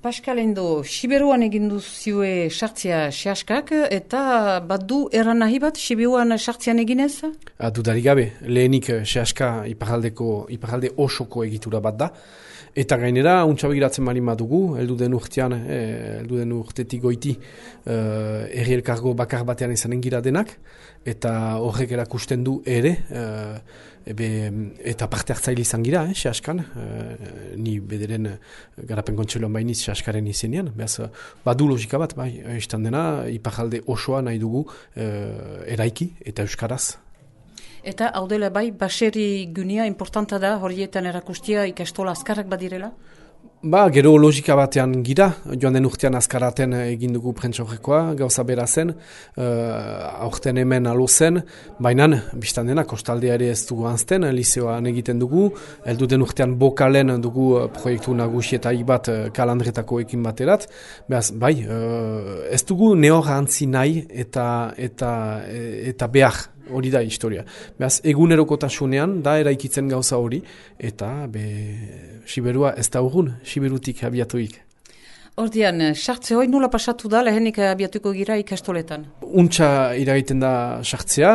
Pascal Endo, Siberuan egin duzue sartzea sehaskak, eta badu erran nahi bat Siberuan sartzean eginez? Dudarik gabe, lehenik sehaska iparralde osoko egitura bat da. Eta gainera, untsa begiratzen malin badugu, heldu den urtetik goiti herri elkargo bakar batean izanen gira denak, eta horrek erakusten du ere, eta parte hartzaile izan gira, sehaskan, ni bederen garapen kontseloan bainiz sehaskaren izenean, behaz, badu logika bat, bai, izan dena, iparralde osoa nahi dugu eraiki eta euskaraz. Eta hau dela bai, baseri gunia importanta da horietan erakustia ikastola azkarrak badirela? Gero logika batean gira, joan den urtean azkaraten egin dugu prentsaurrekoa, gauza bera zen, aurten hemen alo zen, baina biztan dena kostaldea ere ez dugu anzten, liseoan egiten dugu, heldu den urtean bokalen dugu proiektu nagusietaik bat kalandretako ekin baterat, behaz, bai, ez dugu nehor antzi nahi eta behar. Hori da historia. Beraz, egunerokotasunean da eraikitzen gauza hori, eta Siberua ez da urgun, Siberutik abiatuik. Ordian, sartze hori nula pasatu da lehenik abiatuko gira ikastoletan? Untxa iragaiten da sartzea,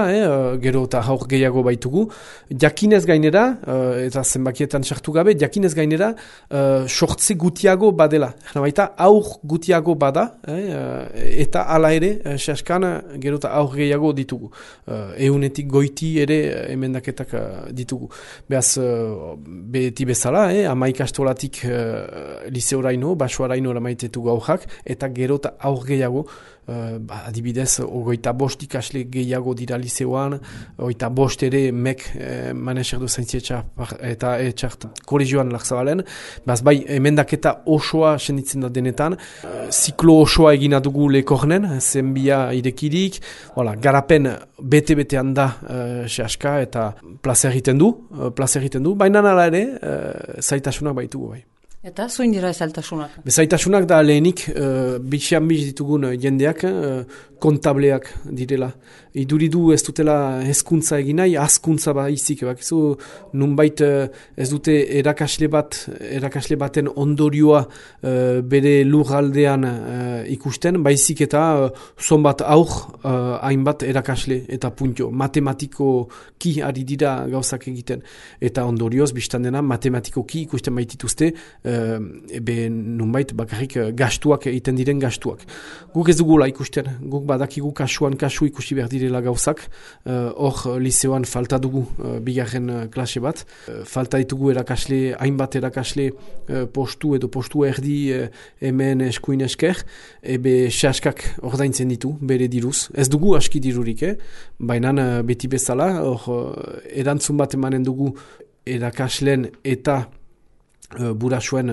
gero eta haur gehiago baitugu. Jakinez gainera, eta zenbakietan sartu gabe, jakinez gainera, sortze gutiago badela. Baita aur gutiago bada, eta hala ere, sehaskan gero eta aur gehiago ditugu. Eunetik goiti ere emendaketak ditugu. Beaz, beti bezala, ama ikastolatik liseoraino, basoaraino maitetu gaujak, eta gero eta aur gehiago, adibidez, 25 ikasle gehiago dira liseoan, 25 ere mek maneserdu zaintzietxa eta etxart kolegioan lakzabalen, bai, emendaketa osoa senditzen da denetan, ziklo osoa egina dugu lekornen, zenbia irekirik, garapen bete-betean da sehaska eta plaza egiten du, baina nala ere, zaitasunak baitugu bai. Eta zuin dira zaitasunak? Zaitasunak da lehenik bitxean ditugun jendeak kontableak direla. Iduridu ez dutela hezkuntza eginai, azkuntza baizik. Nunbait ez dute erakasle baten ondorioa bere lurraldean ikusten, baizik eta zonbat aur hainbat erakasle eta puntio. Matematikoki ari dira gauzak egiten. Eta ondorioz, biztan dena, matematikoki ikusten baitituzte, nunbait bakarrik gastuak egiten diren gastuak. Guk ez dugula ikusten, guk badakigu kasuan kasu ikusi behar direla gauzak, hor liseoan falta dugu bigarren klase bat, falta ditugu hainbat erakasle postu edo postu erdi hemen eskuin esker, sehaskak ordaintzen ditu, bere diruz. Ez dugu aski dirurik, baina beti bezala, erantzun bat emanen dugu erakasleen eta burasuen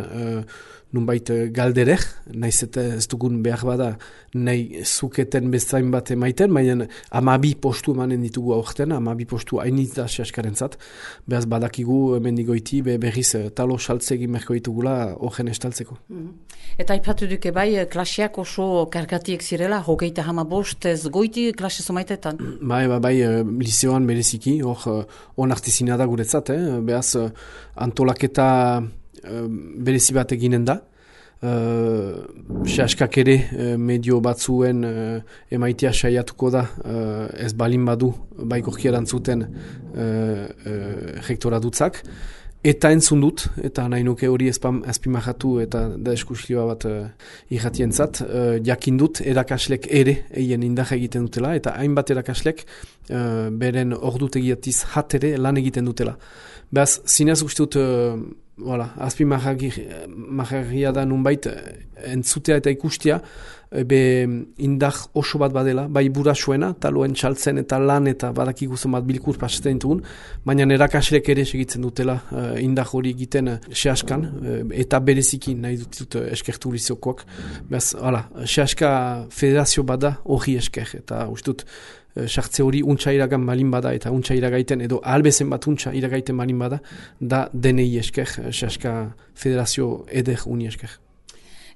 nunbait galderek, nahiz eta ez dugun behar bada nahi zuketen bezain bat emaiten, baina 12 postu emanen ditugu aurten, 12 postu hainitz da sehaskaren zat, behaz badakigu mendigoiti berriz talo saltze egin merko ditugula horren estaltzeko. Eta aipatu duke bai, klaseak oso kargatiek zirela, 25 ez goiti klase zomaitetan? Bai, liseoan bereziki, hor onartezina da guretzat, behaz antolaketa berezi bat eginen da. Sehaskak ere medio batzuen emaitea saiatuko da ez balin badu baikorki erantzuten rektoradutzak. Eta entzun dut, eta nahi nuke hori azpimahatu eta da eskuslioa bat irratientzat, jakin dut erakaslek ere eien indarra egiten dutela, eta hainbat erakaslek beren ordutegiatiz ere lan egiten dutela. Beaz, zinez uste dut, azpimaharria da nunbait entzutea eta ikustea, indar oso bat badela, bai burasuena, taloen txaltzen eta lan eta badakiguzun bat bilkur pasatzen ditugun, baina erakaslek ere segitzen dutela indar hori egiten sehaskan, eta bereziki nahi dut eskertu liseokoak. Beaz, sehaska federazio bada hori esker, eta uste dut, sartze hori untxa iragan malin bada eta untxa iragaiten edo albezen bat untxa iragaiten malin bada da denei esker, sehaska federazio eder uni esker.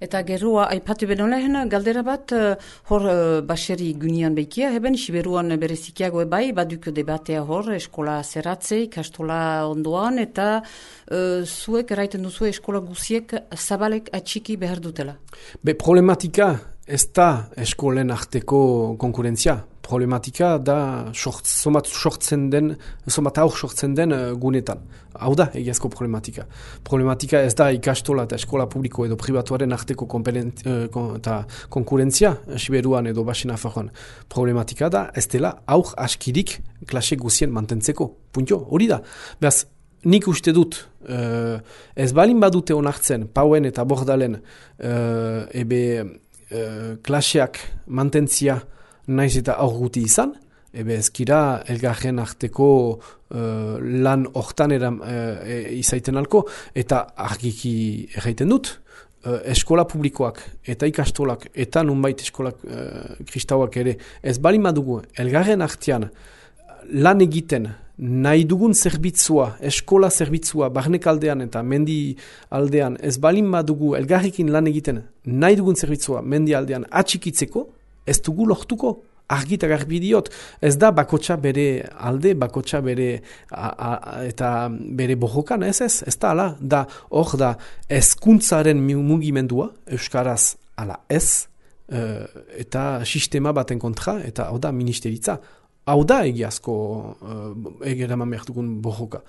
Eta geroa, aipatu beno lehen, galdera bat, hor baseri gunian behikia, heben, Siberuan berezikiago bai, baduk debatea hor, eskola zeratze, ikastola ondoan, eta zuek eraiten duzu eskola guziek zabalek atxiki behar dutela. Problematika ez da eskolen arteko konkurentzia. Problematika da somat sortzen den gunetan. Hau da, egiazko problematika. Problematika ez da ikastola eta eskola publiko edo pribatuaren arteko konkurentzia, Siberuan edo Baxi Nafarroan. Problematika da ez dela aur askirik klase guzien mantentzeko. Puntio, hori da. Beraz, nik uste dut, ez balin badute onartzen, Pauen eta Bordalen, klaseak mantentzia naiz eta aur guti izan, ezkira elgarren arteko lan hortan izaiten alko, eta argiki erraiten dut, eskola publikoak eta ikastolak eta nunbait eskolak kristauak ere, ez balin badugu elgarren artean lan egiten nahi dugun zerbitzua, eskola zerbitzua, barnek aldean eta mendi aldean, ez balin badugu elgarrekin lan egiten nahi dugun zerbitzua mendi aldean atxikitzeko, ez dugu lortuko. Argi eta garbi diot, ez da bakotxa bere alde, bakotxa bere eta bere bojokan, ez da ala, da hor da hezkuntzaren mugimendua, euskaraz ala ez, eta sistema baten kontra, eta hau da ministeritza. Hau da egiazko egeraman behar dugun bojoka.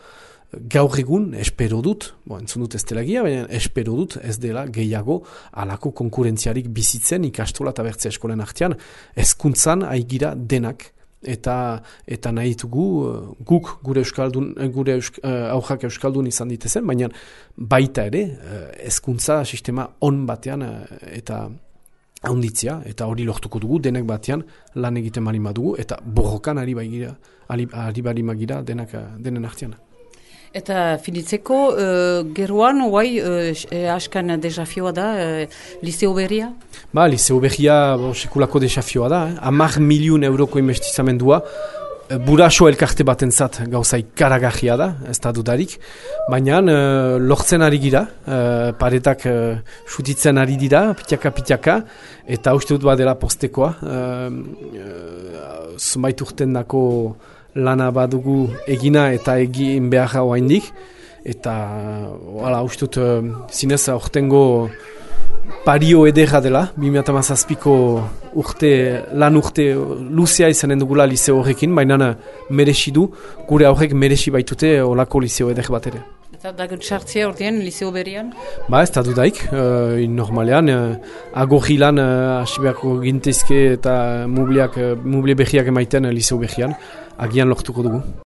Gaur egun, espero dut, entzun dut ez dela gira, baina espero dut ez dela gehiago alako konkurentziarik bizitzen ikastola eta bertzea eskolen artean, hezkuntzan aigira denak eta nahi dugu guk gure aurrak euskaldun izan ditezen, baina baita ere hezkuntza sistema on batean eta haunditzea, eta hori lortuko dugu denek batean lan egiten bali madugu, eta borrokan ari bali magira denen artean. Eta finitzeko, geroan, askan desafioa da, Liceo Berria? Liceo Berria sekulako desafioa da. 10 milion euroko investizamendua, buraso elkarte batentzat gauza ikaragarria da, ez da dudarik. Baina lortzen ari gira, paretak sutitzen ari dira, pitaka, eta uste dut badela postekoa. Zumait urten dako lana badugu egina eta egin behar oraindik, eta uste dut zinez aurtengo pario ederra dela, 2017ko lan urte luzea izanen dugula liceo horrekin, baina merezi du, gure aurrek merezi baitute olako liceo eder bat ere. Eta dagun txartzea ordean, Liceo Berrian? Ez da dudaik, normalean, agorri lan asibeako gintezke eta muble berriak emaiten Liceo Berrian, agian lortuko dugu.